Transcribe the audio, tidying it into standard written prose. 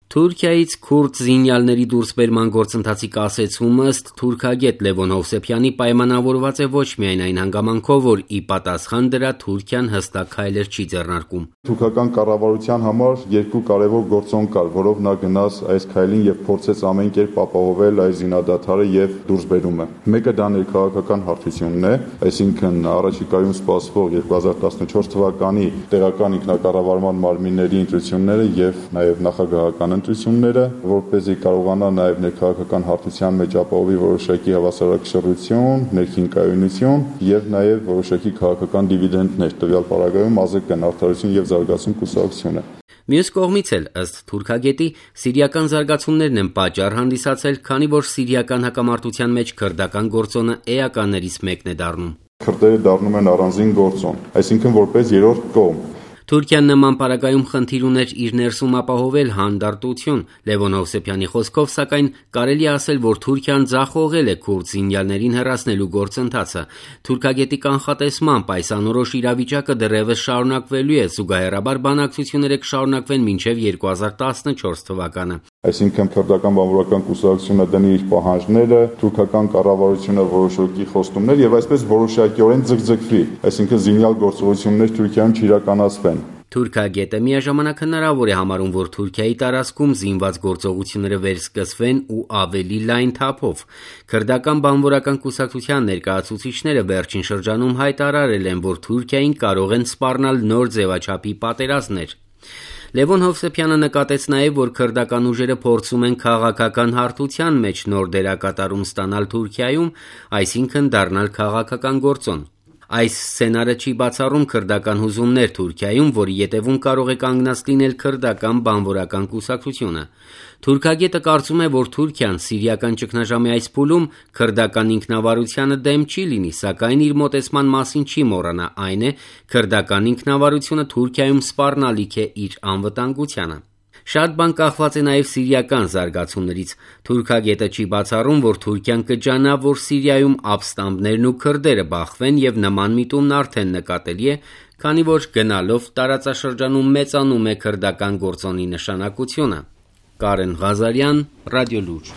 Թուրքիայից քուրդ զինյալների դուրսբերման գործընթացի կասեցումը ըստ թուրքագետ Լևոն Հովսեփյանի պայմանավորված է ոչ միայն այն հանգամանքով, որ ի պատասխան դրա Թուրքիան հստակ քայլեր չի ձեռնարկում։ Թուրքական կառավարության համար երկու կարևոր գործոն կար, որով նա գնաց այս քայլին եւ փորձեց ամեն կերպ ապահովել այս զինադադարը եւ դուրսբերումը։ Մեկը դա ներքաղաքական հարթությունն է, այսինքն առաջիկայում սպասվող 2014 թվականի տեղական ինքնակառավարման մարմինների ընտրությունները եւ նաեւ նախագահական ընտրությունները, որպեսզի կարողանա նաեւ ներքաղաքական հարթության մեջ ապահովի որոշակի հավասարակշռություն, ներքին կայունություն եւ նաեւ որոշակի քաղաքական դիվիդենդներ, տվյալ պարագայում ԱԶԿ-ն արդարություն եւ զարգացում կուսակցությունը։ Մյուս կողմից էլ, ըստ թուրքագետի, սիրիական զարգացումներն են պատճառ հանդիսացել, քանի որ սիրիական հակամարտության մեջ քրդական գործոնը էականներից մեկն է դառնում։ Քրդերը դառնում են առանձին գործոն, այսինքն որպես երրորդ կողմ։ Թուրքիան նման պարագայում խնդիր ուներ իր ներսում ապահովել հանդարտություն։ Լևոն Հովսեփյանի խոսքով, սակայն, կարելի է ասել, որ Թուրքիան ձախողել է քուրդ զինյալներին հեռացնելու գործընթացը։ Թուրքագետի կանխատեսմամբ այս անորոշ իրավիճակը դեռևս շարունակվելու է, զուգահեռաբար բանակցությունները կշարունակվեն մինչև 2014 թվականը։ Այսինքն քրդական բանվորական կուսակցությունը դնի իր պահանջները, թուրքական կառավարությունը որոշակի խոստումներ եւ այսպես որոշակիորեն ձգձգվի, այսինքն զինյալ գործողություններ Թուրքիայում չիրականացվեն։ Թուրքագետը միաժամանակ հնարավոր է համարում, որ Թուրքիայի տարածքում զինված գործողությունները վերսկսվեն ու ավելի լայն թափով։ Քրդական բանվորական կուսակցության ներկայացուցիչները վերջին շրջանում հայտարարել են, որ Թուրքիային կարող են սպառնալ նոր ձևաչափի պատերազմներ։ Լևոն Հովսեփյանը նկատեց նաև, որ քրդական ուժերը փորձում են քաղաքական հարթության մեջ նոր դերակատարում ստանալ Թուրքիայում, այսինքն դառնալ քաղաքական գործոն։ Այս սցենարը չի բացառում քրդական հուզումներ Թուրքիայում, որի ետևում կարող է կանգնած լինել քրդական բանվորական կուսակցությունը։ Թուրքագետը կարծում է, որ Թուրքիան սիրիական ճգնաժամի այս փուլում քրդական ինքնավարությանը դեմ չի լինի, սակայն իր մոտեցման մասին չի մոռանա, այն է, քրդական ինքնավարությունը Թուրքիայում սպառնալիք է իր անվտանգությանը։ Շատ բան կախված է նաև սիրիական զարգացումներից։ Թուրքագետը չի բացառում, որ Թուրքիան կջանա, որ Սիրիայում ապստամբներն ու քրդերը բախվեն եւ նման միտումն արդեն նկատելի է, քանի որ գնալով տարածաշրջանում մեծանում է քրդական գործոնի նշանակությունը։ Կարեն Ղազարյան, Ռադիոլուր։